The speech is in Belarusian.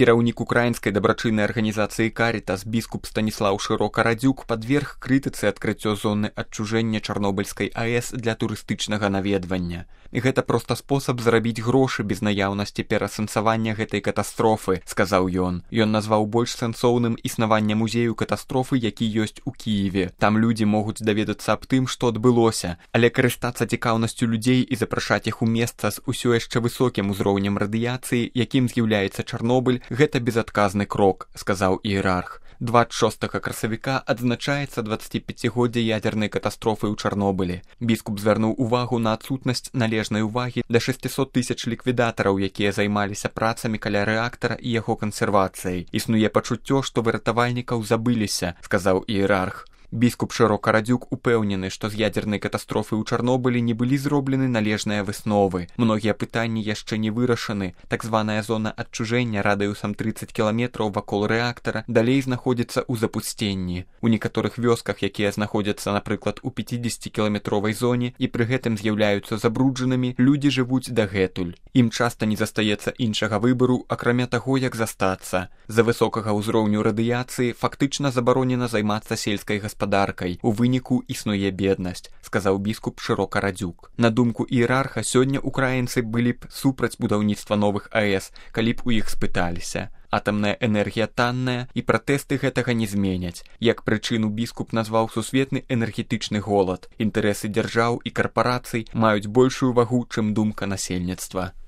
Кіраўнік украінскай дабрачыннай арганізацыі «Карітас» біскуп Станіслаў Шырока-Радзюк падверг крытыцы адкрыццё зоны адчужэння Чарнобыльскай АЭС для турыстычнага наведвання. Гэта проста спосаб зарабіць грошы без наяўнасці пераасэнсавання гэтай катастрофы, сказаў ён. Ён назваў больш сэнсоўным існаванне музею катастрофы, які ёсць у Кіеве. Там людзі могуць даведацца аб тым, што адбылося, але карыстацца цікаўнасцю людзей і запрашаць іх у месца з усё яшчэ высокім узроўнем радыяцыі, якім з'яўляецца Чарнобыль, гэта безадказны крок, сказаў іерарх. 26 красавіка адзначаецца 25годдзе ядзернай катастрофы ў Чарнобылі. Біскуп звярнуў увагу на адсутнасць належнай увагі да 600 000 ліквідатараў, якія займаліся працамі каля рэактара і яго кансервацыяй. Існуе пачуццё, што выратавальнікаў забыліся, сказаў іерарх. Біскуп Шырока-Радзюк упэўнены, што з ядзернай катастрофы ў Чарнобылі не былі зроблены належныя высновы. Многія пытанні яшчэ не вырашаны. Так званая зона адчужэння радыусам 30 кіламетраў вакол рэактара далей знаходзіцца ў запусценні. У некаторых вёсках, якія знаходзяцца, напрыклад, у 50-кіламетровай зоне і пры гэтым з'яўляюцца забруджанымі, людзі жывуць дагэтуль. Ім часта не застаецца іншага выбару, акрамя таго, як застацца. З-за высокага ўзроўню радыяцыі фактычна забаронена займацца сельскай гаспадаркай. У выніку існуе беднасць, сказаў біскуп Шырока-Радзюк. На думку іерарха, сёння украінцы былі б супраць будаўніцтва новых АЭС, калі б у іх спыталіся. Атамная энергія танная, і пратэсты гэтага не зменяць. Як прычыну біскуп назваў сусветны энергетычны голад. Інтарэсы дзяржаў і карпарацый маюць большую вагу, чым думка насельніцтва.